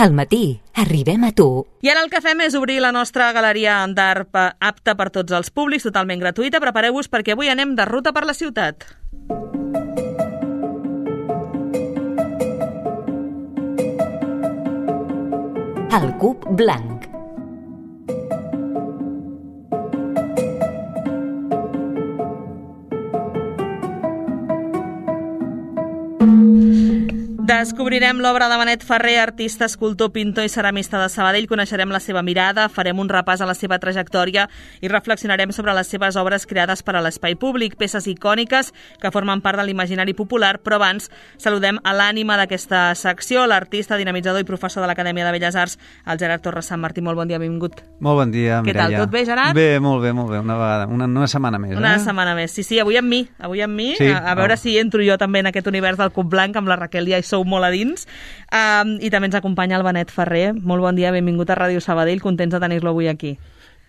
Al matí, arribem a tu. I ara el que fem és obrir la nostra galeria d'art apta per tots els públics, totalment gratuïta. Prepareu-vos perquè avui anem de ruta per la ciutat. El cub blanc. Descobrirem l'obra de Benet Ferrer, artista, escultor, pintor i ceramista de Sabadell. Coneixerem la seva mirada, farem un repàs a la seva trajectòria i reflexionarem sobre les seves obres creades per a l'espai públic, peces icòniques que formen part de l'imaginari popular, però abans saludem a l'ànima d'aquesta secció, l'artista, dinamitzador i professor de l'Acadèmia de Belles Arts, el Gerard Torres Sant Martí. Molt bon dia, benvingut. Molt bon dia, Mireia. Què tal, tot bé, Gerard? Bé, molt bé, una vegada, una setmana més. Una setmana més, sí, avui amb mi, sí, a veure si entro jo també en aquest univers del cub blanc amb la Raquel Díaz, sou molt a dins. I també ens acompanya el Benet Ferrer. Molt bon dia, benvingut a Ràdio Sabadell, contents de tenir-lo avui aquí.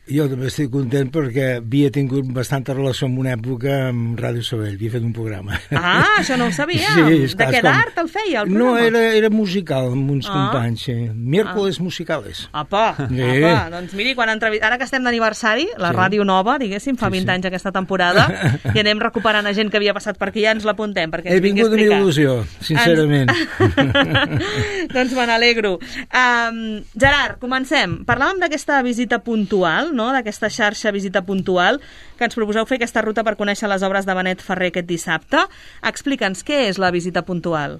Jo també estic content perquè havia tingut bastanta relació en una època amb Ràdio Sabadell, havia fet un programa. Ah, això no ho sabia. Sí, de què d'art el feia, el programa? No, era musical amb uns companys, sí. Miércoles musicales. Apa, doncs miri, ara que estem d'aniversari, la Ràdio Nova, diguéssim, fa 20 anys aquesta temporada, i anem recuperant a gent que havia passat per aquí, ja ens l'apuntem, perquè ens vingui a explicar. He vingut amb il·lusió, sincerament. Doncs me n'alegro. Gerard, comencem. Parlàvem d'aquesta visita puntual, no? D'aquesta xarxa visita puntual, que ens proposeu fer aquesta ruta per conèixer les obres de Benet Ferrer aquest dissabte. Explica'ns, què és la visita puntual?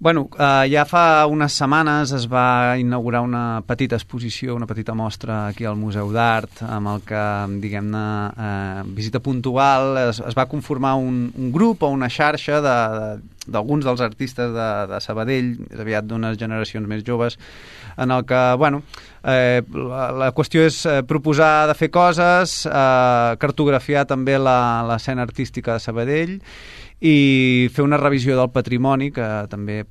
Bueno, ja fa unes setmanes es va inaugurar una petita exposició, una petita mostra aquí al Museu d'Art, amb el que, diguem-ne, visita puntual, es va conformar un grup o una xarxa d'alguns dels artistes de Sabadell, aviat d'unes generacions més joves, en el que, bueno, la qüestió és proposar de fer coses, cartografiar també l'escena artística de Sabadell i fer una revisió del patrimoni, que també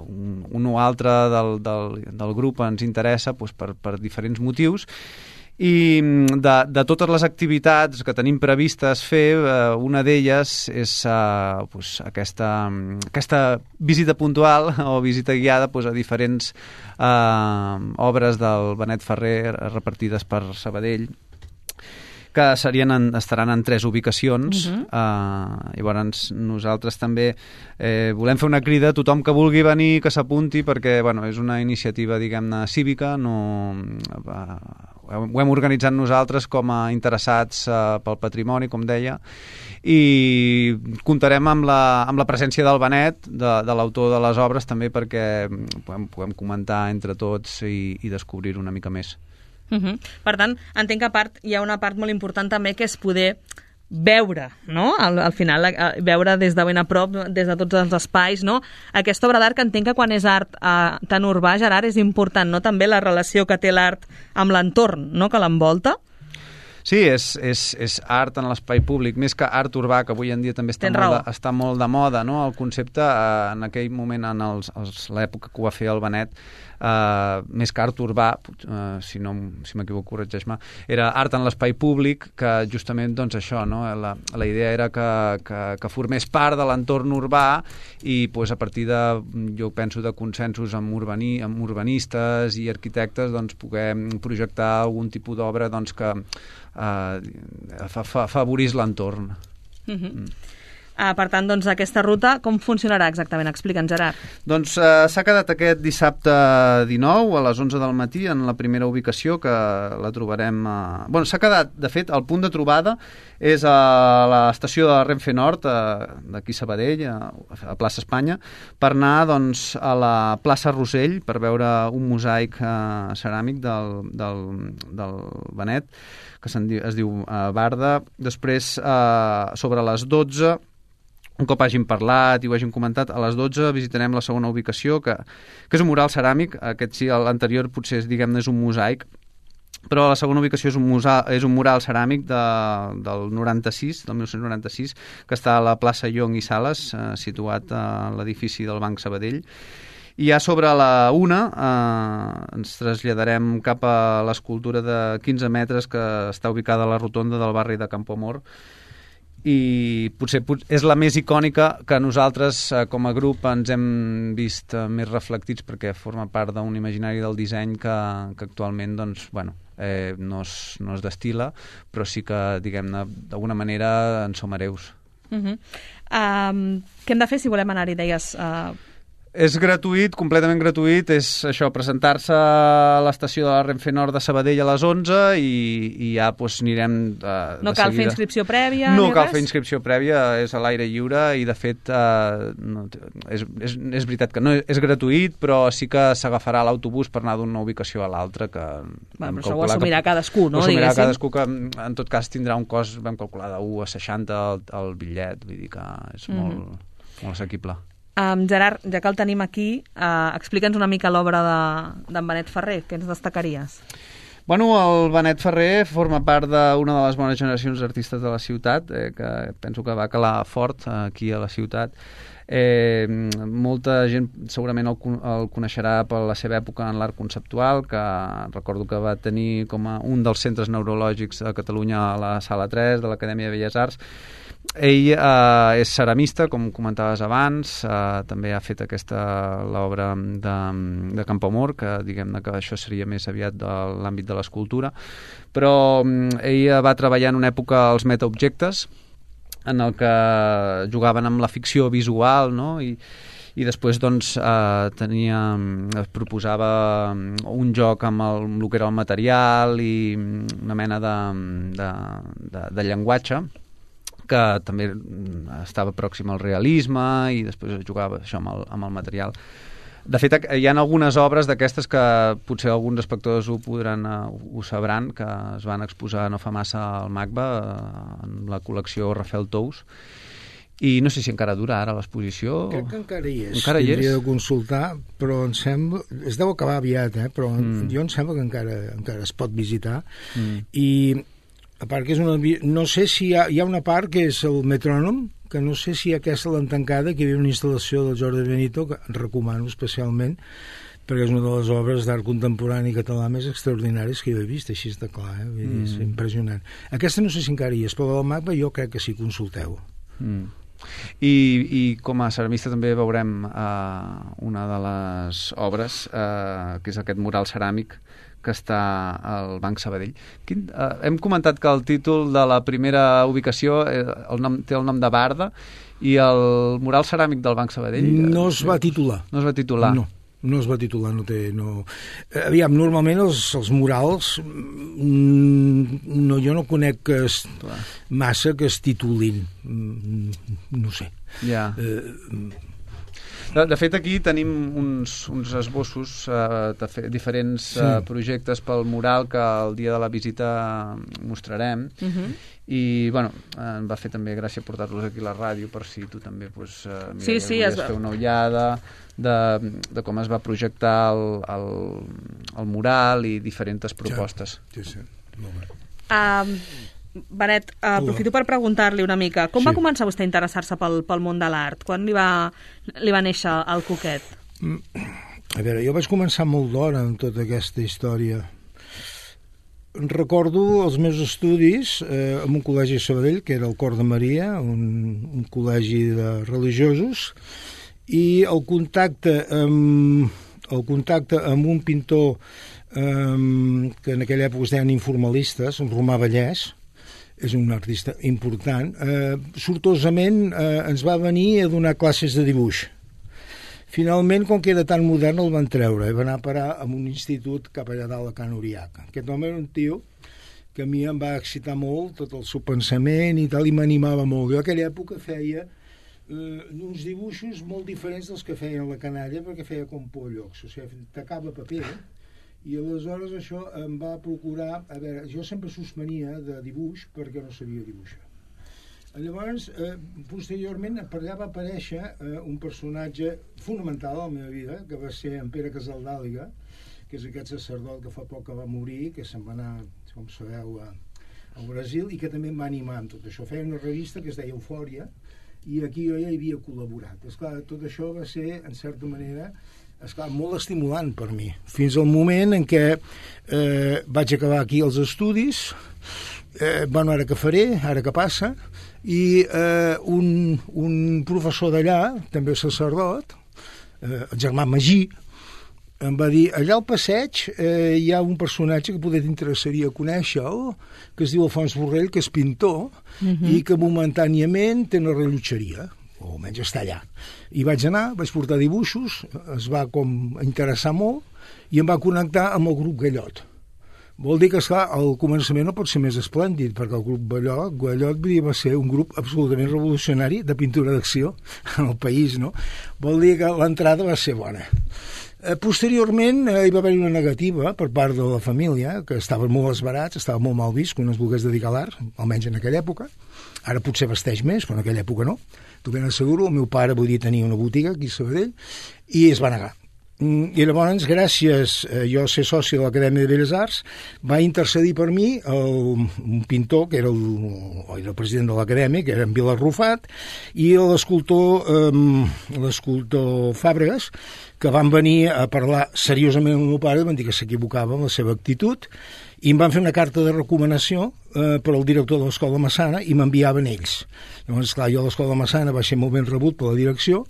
un o altre del grup ens interessa per diferents motius. I de totes les activitats que tenim previstes fer, una d'elles és aquesta visita puntual o visita guiada a diferents obres del Benet Ferrer repartides per Sabadell, que estaran en 3 ubicacions. Llavors nosaltres també volem fer una crida a tothom que vulgui venir, que s'apunti, perquè és una iniciativa, diguem-ne, cívica. Ho hem organitzat nosaltres com a interessats pel patrimoni, com deia, i comptarem amb la presència del Benet, de l'autor de les obres, també perquè puguem comentar entre tots i descobrir una mica més. Per tant, entenc que hi ha una part molt important també, que és poder veure, no? Al final, veure des de ben a prop, des de tots els espais, no? Aquesta obra d'art, que entenc que quan és art tan urbà, Gerard, és important, no? També la relació que té l'art amb l'entorn, no?, que l'envolta. Sí, és art en l'espai públic, més que art urbà, que avui en dia també està molt de moda, no? El concepte, en aquell moment, en l'època que ho va fer el Benet, més que art urbà, si m'equivoco, corregeix-me, era art en l'espai públic, que justament, doncs, això, no? La idea era que formés part de l'entorn urbà i, a partir jo penso, de consensos amb urbanistes i arquitectes, doncs, poder projectar algun tipus d'obra, doncs, que afavorís l'entorn. Per tant, doncs, aquesta ruta, com funcionarà exactament? Explica'ns, Gerard. Doncs s'ha quedat aquest dissabte 19 a les 11 del matí en la primera ubicació, que la trobarem... s'ha quedat, de fet, el punt de trobada és a l'estació de Renfe Nord, d'aquí Sabadell, a plaça Espanya, per anar, doncs, a la plaça Rossell, per veure un mosaic ceràmic del Benet, que es diu Barda. Després, sobre les 12... Un cop hàgim parlat i ho hàgim comentat, a les 12 visitarem la segona ubicació, que és un mural ceràmic. Aquest sí, l'anterior potser és un mosaic, però la segona ubicació és un mural ceràmic del 1996, que està a la plaça Llong i Sales, situat a l'edifici del Banc Sabadell. I ja sobre la 1 ens traslladarem cap a l'escultura de 15 metres que està ubicada a la rotonda del barri de Campoamor, i potser és la més icònica que nosaltres com a grup ens hem vist més reflectits perquè forma part d'un imaginari del disseny que actualment doncs, bueno, no es destila, però sí que, diguem-ne, d'alguna manera en som hereus. Què hem de fer si volem anar-hi, deies? És gratuït, completament gratuït, és això, presentar-se a l'estació de la Renfe Nord de Sabadell a les 11 i ja doncs, anirem de No cal seguida. fer inscripció prèvia? No cal fer inscripció prèvia, és a l'aire lliure i de fet és veritat que no és gratuït, però sí que s'agafarà l'autobús per anar d'una ubicació a l'altra. Però això ho assumirà cadascú, no? Ho assumirà cadascú, que en tot cas tindrà un cost, vam calcular, de 1 a 60 el bitllet, vull dir que és molt assequible. Gerard, ja que el tenim aquí, explica'ns una mica l'obra d'en Benet Ferrer. Què ens destacaries? Bueno, el Benet Ferrer forma part d'una de les bones generacions d'artistes de la ciutat, que penso que va calar fort aquí a la ciutat. Molta gent segurament el coneixerà per la seva època en l'art conceptual, que recordo que va tenir com un dels centres neurològics de Catalunya a la Sala 3 de l'Acadèmia de Belles Arts. Ell és ceramista, com comentaves abans, també ha fet l'obra de Campoamor, que diguem-ne que això seria més aviat de l'àmbit de l'escultura, però ell va treballar en una època als metaobjectes, en el que jugaven amb la ficció visual, no? I després doncs, proposava un joc amb el que era el material i una mena de llenguatge que també estava pròxim al realisme i després jugava això amb el material. De fet, hi ha algunes obres d'aquestes que potser alguns espectadors ho sabran, que es van exposar no fa massa al MACBA, en la col·lecció Rafael Tous, i no sé si encara dura ara l'exposició. Crec que encara hi és. Encara hi és? Hauria de consultar, però em sembla... Es deu acabar aviat, però jo em sembla que encara es pot visitar. I a part que és una... No sé si hi ha una part que és el metrònom, que no sé si aquesta l'han tancada, que hi havia una instal·lació del Jordi Benito, que recomano especialment, perquè és una de les obres d'art contemporani català més extraordinàries que jo he vist, així està clar, és impressionant. Aquesta no sé si encara hi és, però el MACBA jo crec que sí, consulteu. I com a ceramista també veurem una de les obres, que és aquest mural ceràmic que està al Banc Sabadell. Hem comentat que el títol de la primera ubicació té el nom de Barda, i el mural ceràmic del Banc Sabadell... No es va titular. No es va titular. No es va titular, Aviam, normalment els murals jo no conec massa que es titulin. No sé. Ja. De fet, aquí tenim uns esbossos de diferents projectes pel mural que el dia de la visita mostrarem. I, bueno, em va fer també gràcia portar-los aquí a la ràdio per si tu també volies fer una ullada de com es va projectar el mural i diferents propostes. Sí, molt bé. Benet, aprofito per preguntar-li una mica. Com va començar vostè a interessar-se pel món de l'art? Quan li va néixer el coquet? A veure, jo vaig començar molt d'hora en tota aquesta història. Recordo els meus estudis en un col·legi a Sabadell, que era el Cor de Maria, un col·legi de religiosos, i el contacte amb un pintor que en aquella època es deien informalistes, en Romà Vallès, és un artista important, sortosament ens va venir a donar classes de dibuix. Finalment, com que era tan modern, el van treure i va anar a parar a un institut cap allà dalt a Can Uriac. Aquest home era un tio que a mi em va excitar molt, tot el seu pensament i tal, i m'animava molt. Jo a aquella època feia uns dibuixos molt diferents dels que feien la canalla, perquè feia com pollocs, o sigui, tacava paper, i aleshores això em va procurar... A veure, jo sempre suspenia de dibuix perquè no sabia dibuixar. Llavors, posteriorment, per allà va aparèixer un personatge fonamental a la meva vida, que va ser en Pere Casaldàliga, que és aquest sacerdot que fa poc que va morir, que se'n va anar, com sabeu, al Brasil, i que també em va animar amb tot això. Feia una revista que es deia Eufòria, i aquí jo ja hi havia col·laborat. Esclar, tot això va ser, en certa manera, molt estimulant per mi, fins al moment en què vaig acabar aquí els estudis bueno, ara què faré, ara què passa, i un professor d'allà, també sacerdot, el germà Magí, em va dir, allà al passeig hi ha un personatge que potser t'interessaria conèixer-lo, que es diu Alfons Borrell, que és pintor, i que momentàniament té una rellotgeria, o almenys està allà. I vaig anar, vaig portar dibuixos, es va com interessar molt, i em va connectar amb el grup Gallot. Vol dir que, esclar, al començament no pot ser més esplèndid, perquè el grup Gallot va ser un grup absolutament revolucionari de pintura d'acció en el país, no? Vol dir que l'entrada va ser bona. Posteriorment hi va haver una negativa per part de la família, que estaven molt esbarats, estava molt mal vist que un es volgués dedicar a l'art, almenys en aquella època. Ara potser vesteix més, però en aquella època no. T'ho ben asseguro, el meu pare volia tenir una botiga aquí a Sabadell i es va negar. I llavors, gràcies a jo ser soci de l'Acadèmia de Belles Arts, va intercedir per mi un pintor, que era el president de l'Acadèmia, que era en Vila Rufat, i l'escultor Fàbregas, que van venir a parlar seriosament amb el meu pare, van dir que s'equivocava amb la seva actitud, i em van fer una carta de recomanació per al director de l'Escola Massana i m'enviaven ells. Llavors, clar, jo a l'Escola Massana va ser molt ben rebut per la direcció,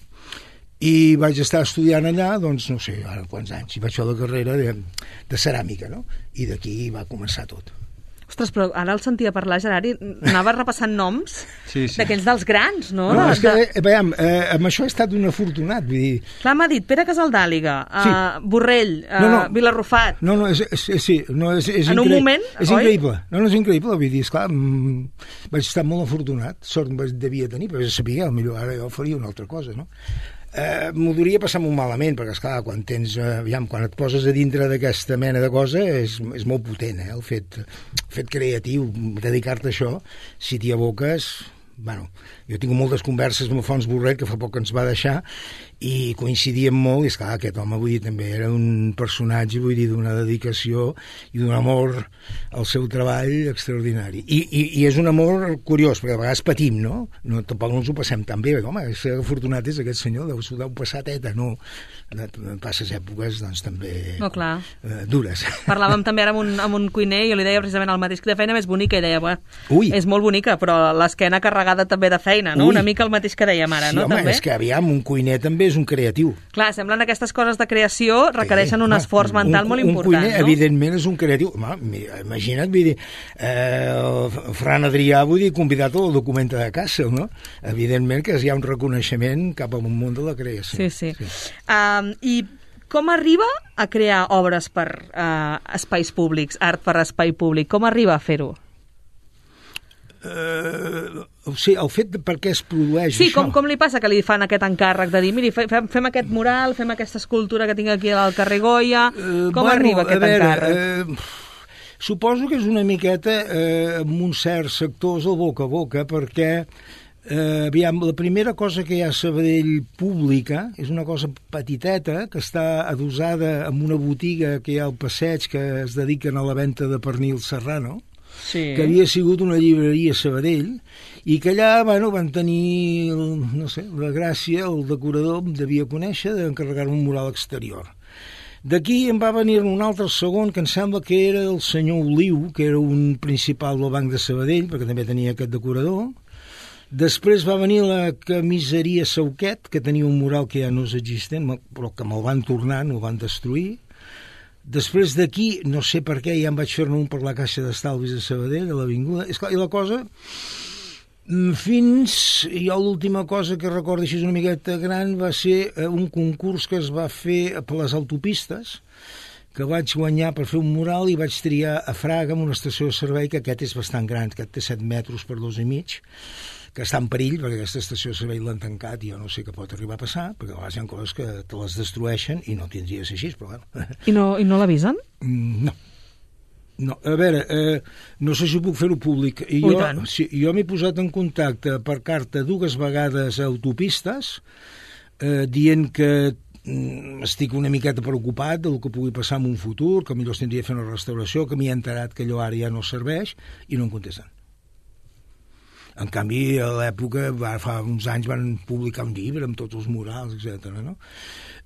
i vaig estar estudiant allà, doncs, no sé, ara quants anys, i vaig fer la carrera de ceràmica, no? I d'aquí va començar tot. Ostres, però ara el sentia parlar, Gerard, i anava repassant noms d'aquells dels grans, no? No, és que, veiem, amb això he estat un afortunat, vull dir... Clar, m'ha dit Pere Casaldàliga, Borrell, Vilarrufat... No, és increïble. En un moment, és increïble. No, és increïble, vull dir, esclar, vaig estar molt afortunat, sort devia tenir, però ja sabia, potser ara jo faria una altra cosa, no? M'ho duria passar molt malament, perquè, esclar, quan et poses a dintre d'aquesta mena de cosa és molt potent, el fet creatiu, dedicar-te a això, si t'hi aboques... Bueno, jo tinc moltes converses amb Alfons Borrell, que fa poc ens va deixar, i coincidíem molt, i esclar, aquest home, vull dir, també era un personatge, vull dir, d'una dedicació i d'un amor al seu treball extraordinari. I és un amor curiós, perquè a vegades patim, no? Tampoc no ens ho passem tan bé, home, que afortunat és aquest senyor, deu passar teta, no? Passes èpoques, doncs, també dures. Parlàvem també ara amb un cuiner, i jo li deia precisament el mateix, que de feina més bonica, i deia, és molt bonica, però l'esquena carregada també de feina, no? Una mica el mateix que dèiem ara, no? Sí, home, també? És que, aviam, un cuiner també és un creatiu. Clar, semblen aquestes coses de creació requereixen un esforç mental molt important, un cuiner, no? Evidentment, és un creatiu. Imagina't, vull dir, Fran Adrià, vull dir, convidat al documenta de Kassel, no? Evidentment que hi ha un reconeixement cap al món de la creació. Sí. I com arriba a crear obres per espais públics, art per espai públic? Com arriba a fer-ho? El fet de per què es produeix això. Sí, com li passa que li fan aquest encàrrec de dir, miri, fem aquest mural, fem aquesta escultura que tinc aquí al carrer Goya, com arriba aquest encàrrec? Suposo que és una miqueta amb uns certs sectors el boca a boca, perquè aviam, la primera cosa que hi ha a Sabadell pública és una cosa petiteta que està adosada en una botiga que hi ha al passeig que es dediquen a la venda de pernil serrano, que havia sigut una llibreria a Sabadell, i que allà van tenir, no sé, la gràcia, el decorador em devia conèixer, d'encarregar un mural exterior. D'aquí em va venir un altre segon, que em sembla que era el senyor Oliu, que era un principal del Banc de Sabadell, perquè també tenia aquest decorador. Després va venir la camiseria Sauquet, que tenia un mural que ja no és existent, però que me'l van tornar, no el van destruir. Després d'aquí, no sé per què, ja em vaig fer-ne un per la Caixa d'Estalvis de Sabadell, a l'Avinguda. És clar, i la cosa, jo l'última cosa que recordo així una miqueta gran va ser un concurs que es va fer per les autopistes, que vaig guanyar per fer un mural i vaig triar a Fraga, en una estació de servei, que aquest és bastant gran, aquest té 7 metres per 2,5, que està en perill, perquè aquesta estació de servei l'han tancat i jo no sé què pot arribar a passar, perquè a vegades hi ha coses que te les destrueixen i no tindria de ser així, però bueno. I no l'avisen? No. A veure, no sé si puc fer-ho públic. Jo m'he posat en contacte per carta 2 vegades a autopistes, dient que estic una miqueta preocupat del que pugui passar en un futur, que millor tindria de fer una restauració, que m'hi he enterat que allò ara ja no serveix, i no em contesten. En canvi, a l'època, fa uns anys van publicar un llibre amb tots els murals, etc. No?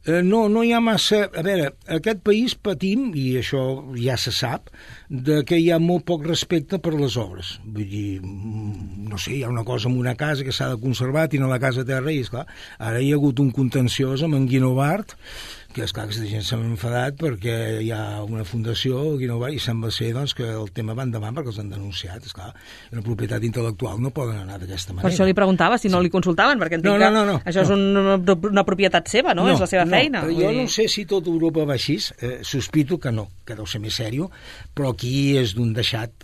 No hi ha massa... A veure, aquest país patim, i això ja se sap, de que hi ha molt poc respecte per les obres. Vull dir, no sé, hi ha una cosa en una casa que s'ha de conservar, tiene la casa a terra, i esclar, ara hi ha hagut un contenciós amb en Guinovart, que esclar, aquesta gent s'ha enfadat perquè hi ha una fundació, Guinovart, i sembla ser doncs, que el tema va endavant perquè els han denunciat. Esclar, una propietat intel·lectual no poden anar d'aquesta manera. Per això li preguntava si no li consultaven, perquè entenc que això és una propietat seva, no? És la seva feina. Jo no sé si tot Europa va així, sospito que no, que deu ser més sèrio, però aquí és d'un deixat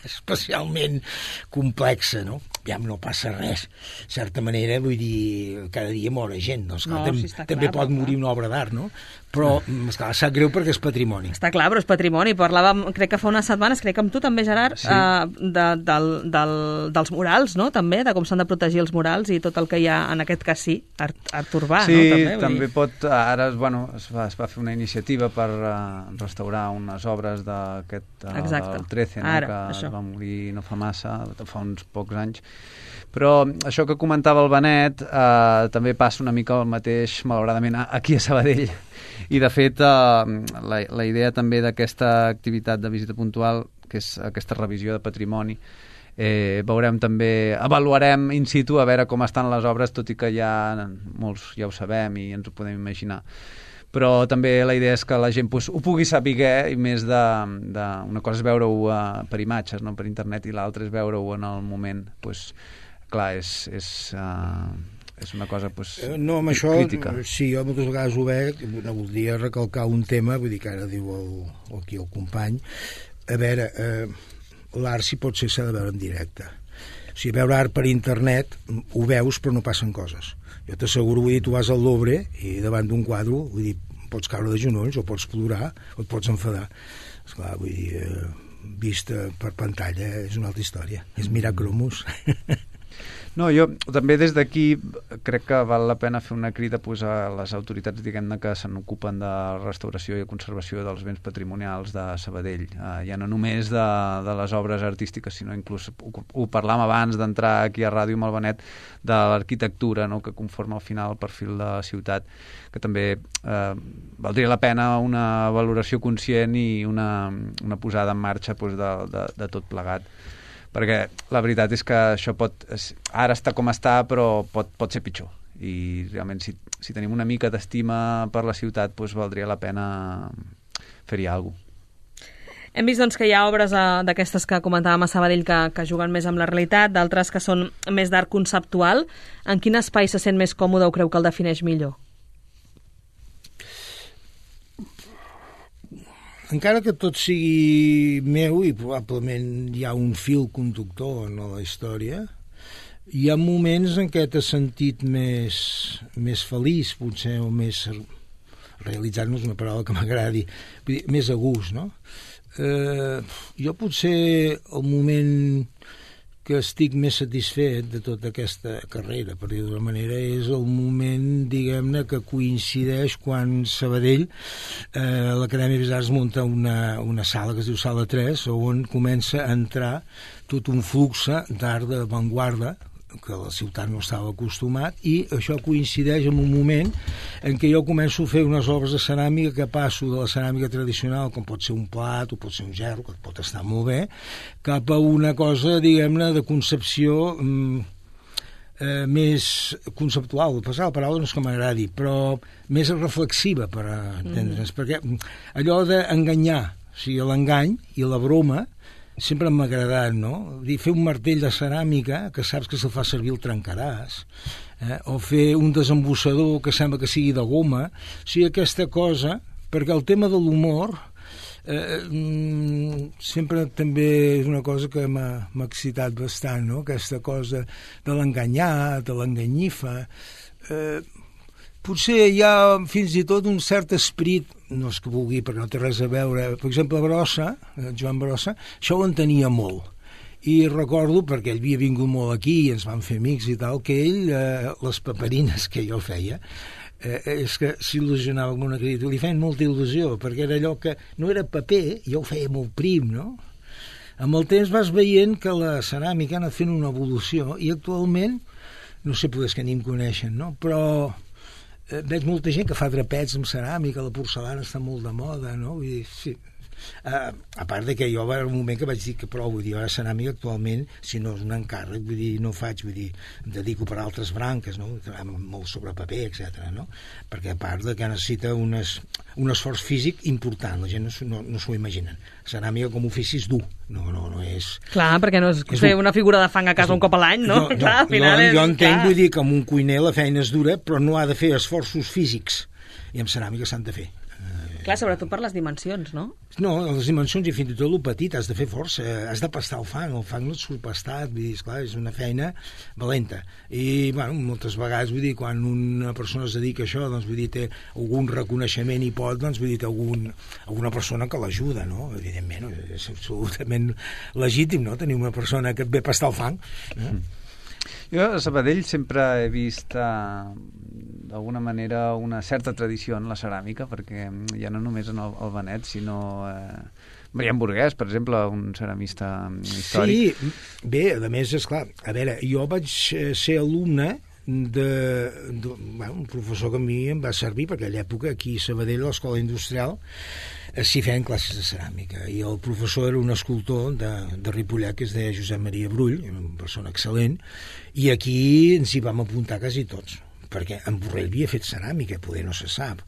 especialment complex, no? Ja no passa res. De certa manera, vull dir, cada dia mor gent, doncs també pot morir una obra d'art, no? Però, esclar, sap greu perquè és patrimoni. Està clar, però és patrimoni. Parlàvem, crec que fa unes setmanes, crec que amb tu també, Gerard, sí. Dels murals, no?, també, de com s'han de protegir els murals i tot el que hi ha, en aquest cas sí, art urbà, sí, no?, també. Sí, també pot... Ara, es va fer una iniciativa per restaurar unes obres del 13, no?, que això va morir no fa massa, fa uns pocs anys. Però això que comentava el Benet també passa una mica el mateix, malauradament, aquí a Sabadell. I, de fet, la idea també d'aquesta activitat de visita puntual, que és aquesta revisió de patrimoni, veurem també, avaluarem in situ a veure com estan les obres, tot i que ja molts ja ho sabem i ens ho podem imaginar. Però també la idea és que la gent ho pugui saber, i més una cosa és veure-ho per imatges, no?, per internet, i l'altra és veure-ho en el moment. Clar, és una cosa no, amb això, crítica. Sí, jo moltes vegades ho veig, no voldria recalcar un tema, vull dir que ara diu aquí el company. A veure, l'art si pot ser s'ha de veure en directe. O sigui, veure art per internet ho veus però no passen coses. Jo t'asseguro, vull dir, tu vas al Louvre i davant d'un quadre, vull dir, pots caure de genolls o pots plorar o et pots enfadar. Esclar, vull dir, vista per pantalla és una altra història. És mirar cromos. No, jo també des d'aquí crec que val la pena fer una crida a les autoritats, diguem-ne, que se n'ocupen de restauració i conservació dels béns patrimonials de Sabadell. Ja no només de les obres artístiques, sinó inclús, ho parlàvem abans d'entrar aquí a ràdio amb el Benet, de l'arquitectura, no?, que conforma al final el perfil de la ciutat, que també valdria la pena una valoració conscient i una posada en marxa de tot plegat. Perquè la veritat és que això ara està com està, però pot ser pitjor. I realment, si tenim una mica d'estima per la ciutat, doncs valdria la pena fer-hi alguna cosa. Hem vist doncs, que hi ha obres d'aquestes que comentàvem a Sabadell que juguen més amb la realitat, d'altres que són més d'art conceptual. En quin espai se sent més còmode o creu que el defineix millor? Encara que tot sigui meu i probablement hi ha un fil conductor en la història, hi ha moments en què t'has sentit més feliç, potser, o més realitzat, no és una paraula que m'agradi, més a gust, no? Jo potser el moment que estic més satisfet de tota aquesta carrera, per dir d'una manera, és el moment, diguem-ne, que coincideix quan Sabadell, l'Acadèmia de Belles Arts munta una sala que es diu Sala 3, on comença a entrar tot un flux d'art d'avantguarda que la ciutat no estava acostumat, i això coincideix en un moment en què jo començo a fer unes obres de ceràmica que passo de la ceràmica tradicional, com pot ser un plat o pot ser un gerro, que pot estar molt bé, cap a una cosa, diguem-ne, de concepció més conceptual. Passar la paraula no és que m'agradi, però més reflexiva, per entendre'ns, perquè allò d'enganyar, o sigui, l'engany i la broma sempre m'ha agradat, no? Fer un martell de ceràmica que saps que se'l fa servir el trencaràs, o fer un desembussador que sembla que sigui de goma. O sigui, aquesta cosa, perquè el tema de l'humor sempre també és una cosa que m'ha excitat bastant, no? Aquesta cosa de l'enganyar, de l'enganyifa. Potser hi ha fins i tot un cert esperit, no és que vulgui perquè no té res a veure, per exemple Brossa, Joan Brossa, això ho entenia molt, i recordo, perquè ell havia vingut molt aquí i ens van fer amics i tal, que ell, les paperines que jo feia, és que s'il·lusionava amb una criatura, li feien molta il·lusió, perquè era allò que no era paper, jo ho feia molt prim, no? Amb el temps vas veient que la ceràmica ha anat fent una evolució, i actualment, no sé, potser que ni em coneixen, no? Però veig molta gent que fa drapets amb ceràmica, la porcellana està molt de moda, no? Vull dir, sí. A part de que jo va haver un moment que vaig dir que prou, vull dir, jo la ceràmica actualment, si no és un encàrrec, vull dir, no faig, vull dir, em dedico per altres branques, no? Molt sobre paper, etc. No? Perquè a part de que necessita un esforç físic important, la gent no s'ho imaginen. Ceràmica com a ofici és dur, no és... Clar, perquè no és fer una figura de fang a casa un cop a l'any, no? Clar, al final jo entenc, vull dir, que amb un cuiner la feina és dura, però no ha de fer esforços físics, i amb ceràmica s'han de fer. Clar, sobretot per les dimensions, no? No, les dimensions i fins i tot el petit, has de fer força, has de pastar el fang no et surt pastat, vull dir, esclar, és una feina valenta. I, bueno, moltes vegades, vull dir, quan una persona es dedica a això, doncs, vull dir, té algun reconeixement i pot, doncs, vull dir, té alguna persona que l'ajuda, no? Evidentment, és absolutament legítim, no?, tenir una persona que et ve a pastar el fang. Jo a Sabadell sempre he vist d'alguna manera una certa tradició en la ceràmica, perquè ja no només en el Benet, sinó Marian Burguès, per exemple, un ceramista històric. Sí, bé, a més, esclar, a veure, jo vaig ser alumne un professor que a mi em va servir, perquè a aquella època aquí a Sabadell, a l'Escola Industrial, s'hi feien classes de ceràmica, i el professor era un escultor de Ripollet que es deia Josep Maria Brull, una persona excel·lent, i aquí ens hi vam apuntar quasi tots, perquè en Borrell havia fet ceràmica, poder no se sap.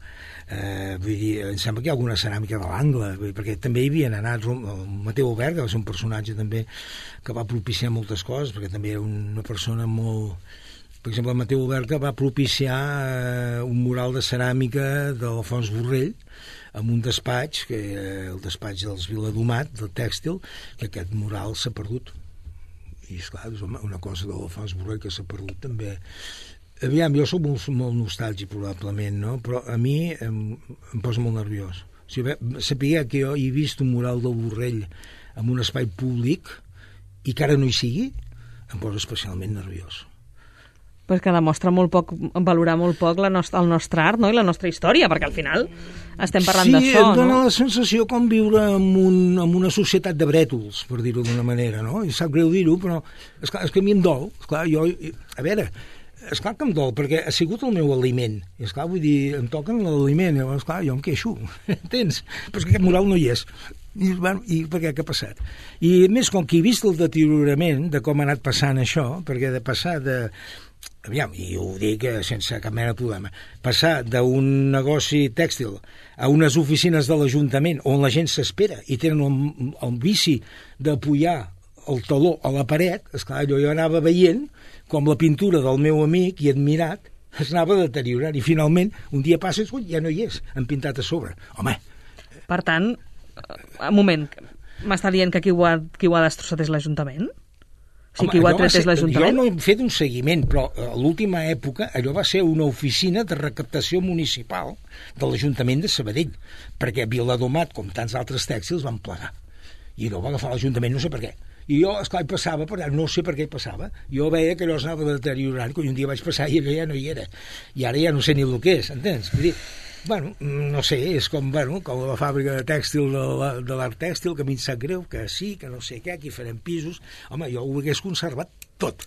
Vull dir, em sembla que hi ha alguna ceràmica de l'Angle, perquè també hi havien anat el Mateu Albert, que va ser un personatge també que va propiciar moltes coses, perquè també era una persona molt... Per exemple, el Mateu Albert va propiciar un mural de ceràmica de l'Alfons Borrell en un despatx, que el despatx dels Viladomat, del tèxtil, que aquest mural s'ha perdut. I, esclar, és una cosa de l'Alfons Borrell que s'ha perdut també. Aviam, jo soc molt nostàlgic, probablement, no? Però a mi em posa molt nerviós. O sigui, saber que jo he vist un mural del Borrell en un espai públic i que ara no hi sigui, em posa especialment nerviós. Pues que demostra molt poc, valorar molt poc el nostre art, no?, i la nostra història, perquè al final estem parlant d'això, no? Sí, et dona la sensació com viure en una societat de brètols, per dir-ho d'una manera, no? I sap greu dir-ho, però és que a mi em dol. Esclar, a veure, esclar que em dol, perquè ha sigut el meu aliment. I esclar, vull dir, em toquen l'aliment, i esclar, jo em queixo, entens? Però és que aquest mural no hi és. I per què ha passat? I a més, com que he vist el deteriorament de com ha anat passant això, perquè de passar de... Aviam, i ho dic sense cap mena de problema, passar d'un negoci tèxtil a unes oficines de l'Ajuntament on la gent s'espera i tenen el vici d'apoyar el taló a la paret, esclar, jo anava veient com la pintura del meu amic i admirat es anava deteriorant i finalment un dia passa i ja no hi és, han pintat a sobre. Home! Per tant, un moment, m'està dient que qui ho ha destrossat és l'Ajuntament? O sigui, qui ho ha tret és l'Ajuntament? Jo no he fet un seguiment, però a l'última època allò va ser una oficina de recaptació municipal de l'Ajuntament de Sabadell, perquè Viladomat, com tants altres tèxtils, van plegar. I allò va agafar l'Ajuntament, no sé per què. I jo, esclar, hi passava, però no sé per què hi passava. Jo veia que allò s'anava deteriorant, quan un dia vaig passar i allò ja no hi era. I ara ja no sé ni el que és, entens? Vull dir, bueno, no sé, és com la fàbrica de tèxtil de l'art tèxtil, que a mi em sap greu, que sí, que no sé què, aquí farem pisos. Home, jo ho hagués conservat tot,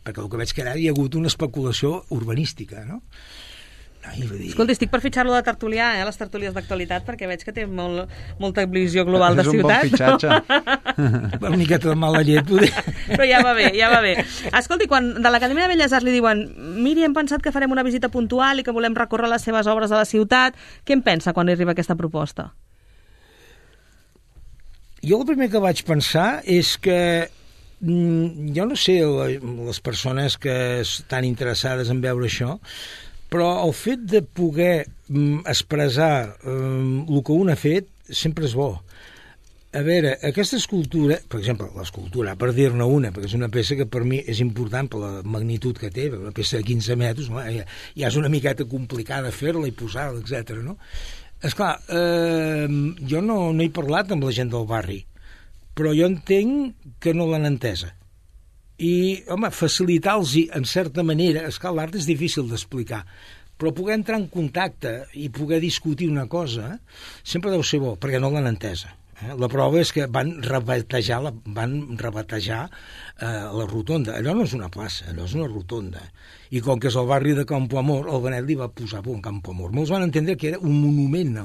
perquè el que veig que ara hi ha hagut una especulació urbanística, no? Escolta, estic per fitxar-lo de tertulià, les tertúlies d'actualitat, perquè veig que té molta visió global de ciutat. És un bon fitxatge. Una miqueta de mala llet, poder. Però ja va bé. Escolti, quan de l'Acadèmia de Belles Arts li diuen miri, hem pensat que farem una visita puntual i que volem recórrer les seves obres a la ciutat, què en pensa quan arriba aquesta proposta? Jo el primer que vaig pensar és que jo no sé, les persones que estan interessades en veure això, però el fet de poder expressar el que un ha fet sempre és bo. A veure, aquesta escultura, per exemple, l'escultura, per dir-ne una, perquè és una peça que per mi és important per la magnitud que té, una peça de 15 metres, no? Ja és una miqueta complicada fer-la i posar-la, etc. No? Esclar, jo no he parlat amb la gent del barri, però jo entenc que no l'han entesa. I, home, facilitar-los en certa manera, esclar, l'art és difícil d'explicar, però poder entrar en contacte i poder discutir una cosa sempre deu ser bo, perquè no l'han entesa. La prova és que van rebatejar la rotonda. Allò no és una plaça, allò és una rotonda. I com que és el barri de Campo Amor, el Benet li va posar por en Campo Amor. Molts van entendre que era un monument no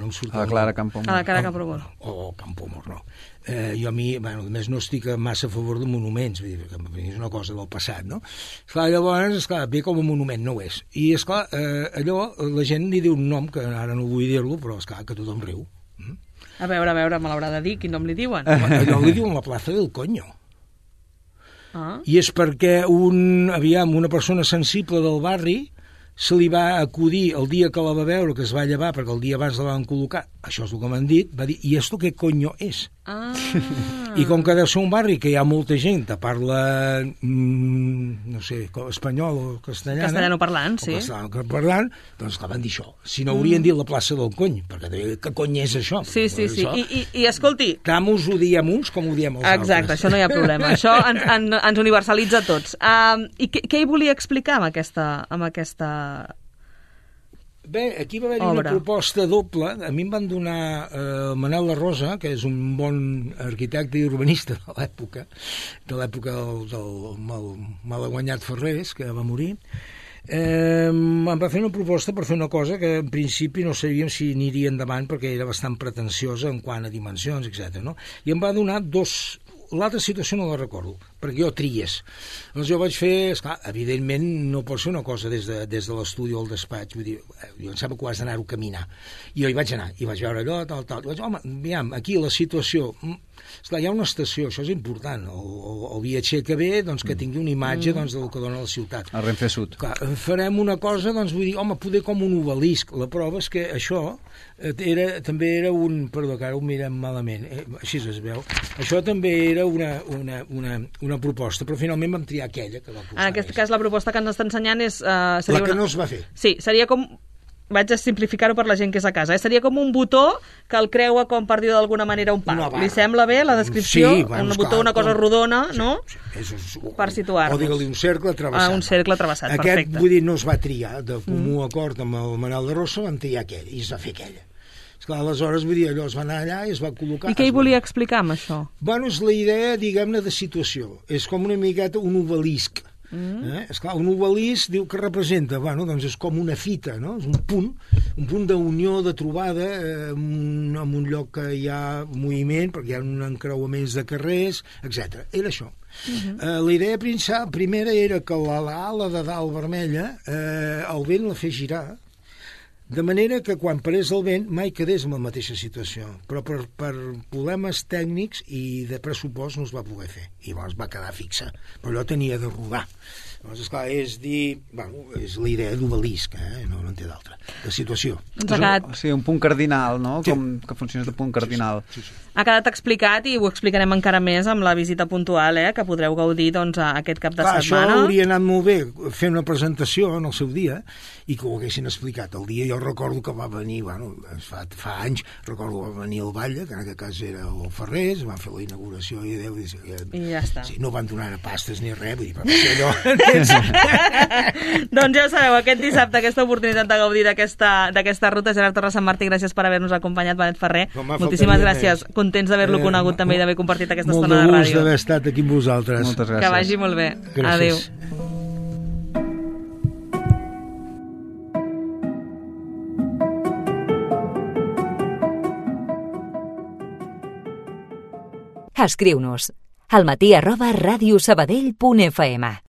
em surt a la Clara Campo Amor. A la Clara Campo Amor. O Campo Amor, no. Jo a mi, a més, no estic massa a favor de monuments, vull dir, que és una cosa del passat, no? Esclar, llavors, esclar, ve com a monument, no ho és. I, esclar, allò, la gent li diu un nom, que ara no vull dir-lo, però, esclar, que tothom riu. A veure, me l'haurà de dir, quin nom li diuen? Allò li diuen la plaça del Coño. Ah. I és perquè una persona sensible del barri se li va acudir el dia que la va veure, que es va llevar, perquè el dia abans la van col·locar, això és el que m'han dit, va dir, i esto què coño és? Ah. I com que deu ser un barri que hi ha molta gent que parla, no sé, espanyol o castellana... Castellano parlant, sí. Castellano parlant, doncs que van dir això. Si no haurien dit la plaça del Cony, perquè què cony és això? Sí. I escolti... Tant us ho diem uns com ho diem els altres. Exacte, això no hi ha problema. Això ens universalitza a tots. I què hi volia explicar amb aquesta... Bé, aquí va haver-hi una proposta doble. A mi em van donar Manel La Rosa, que és un bon arquitecte i urbanista de l'època del malaguanyat Ferrés, que va morir. Em va fer una proposta per fer una cosa que en principi no sabíem si aniria endavant perquè era bastant pretensiosa en quant a dimensions, etc. No? I em va donar l'altra situació no la recordo, perquè jo tries. Doncs jo vaig fer, esclar, evidentment no pot ser una cosa des de l'estudi o el despatx, vull dir, jo em sembla que ho has d'anar-ho a caminar. I jo hi vaig anar, i vaig veure allò, tal. I vaig dir, home, aviam, aquí la situació... Esclar, hi ha una estació, això és important. El viatger que ve, doncs, que tingui una imatge doncs, del que dona la ciutat. El Renfe Sud. Clar, farem una cosa, doncs, vull dir, home, poder com un obelisc. La prova és que això també era un... Perdó, que ara ho mirem malament. Així es veu. Això també era una proposta, però finalment vam triar aquella que va posar. En aquest cas, la proposta que ens està ensenyant és... la que no es va fer. Sí, seria com... Vaig a simplificar-ho per la gent que és a casa. Seria com un botó que el creua, com per dir d'alguna manera, un pal. Li sembla bé la descripció? Sí, bueno, un botó, una cosa rodona, no? Sí, per situar-nos. O digue-li un cercle travessat. Un cercle travessat, perfecte. Aquest, vull dir, no es va triar. De comú acord amb el Manel de Rossa vam triar aquell, i es va fer aquella. Esclar, aleshores, vull dir, allò es va anar allà i es va col·locar... I què hi volia explicar amb això? Bueno, és la idea, diguem-ne, de situació. És com una miqueta un obelisc. Esclar, un obelisc diu que representa, bueno, doncs és com una fita, no? És un punt d'unió, de trobada, en un lloc que hi ha moviment, perquè hi ha un encreuaments de carrers, etc. Era això. La idea primera era que l'ala de dalt vermella el vent la fes girar, de manera que quan parés el vent mai quedés en la mateixa situació, però per problemes tècnics i de pressupost no es va poder fer, i llavors va quedar fixa, però allò tenia de rodar. Llavors, esclar, és dir... Bueno, és la idea d'obelisc, no en té d'altra, de situació. Sí, un punt cardinal, no? Sí. Com que funciona de punt cardinal. Sí. Ha quedat explicat i ho explicarem encara més amb la visita puntual, que podreu gaudir doncs, aquest cap de setmana. Això hauria anat molt bé, fer una presentació en el seu dia i que ho haguessin explicat. El dia jo recordo que va venir, bueno, fa anys, recordo que va venir el Batlle, que en aquest cas era el Ferrés, van fer la inauguració i Déu... I ja està. Sí, no van donar pastes ni res, vull dir, però allò... Doncs ja ho sabeu, aquest dissabte, aquesta oportunitat de gaudir d'aquesta ruta. Gerard Torres Sant Martí, gràcies per haver-nos acompanyat. Benet Ferrer, moltíssimes gràcies. Contents d'haver-lo conegut també i d'haver compartit aquesta estona de ràdio. Molt de gust d'haver estat aquí amb vosaltres. Moltes gràcies. Que vagi molt bé. Gràcies. Adéu. Escriu-nos almatí@radiosabadell.fm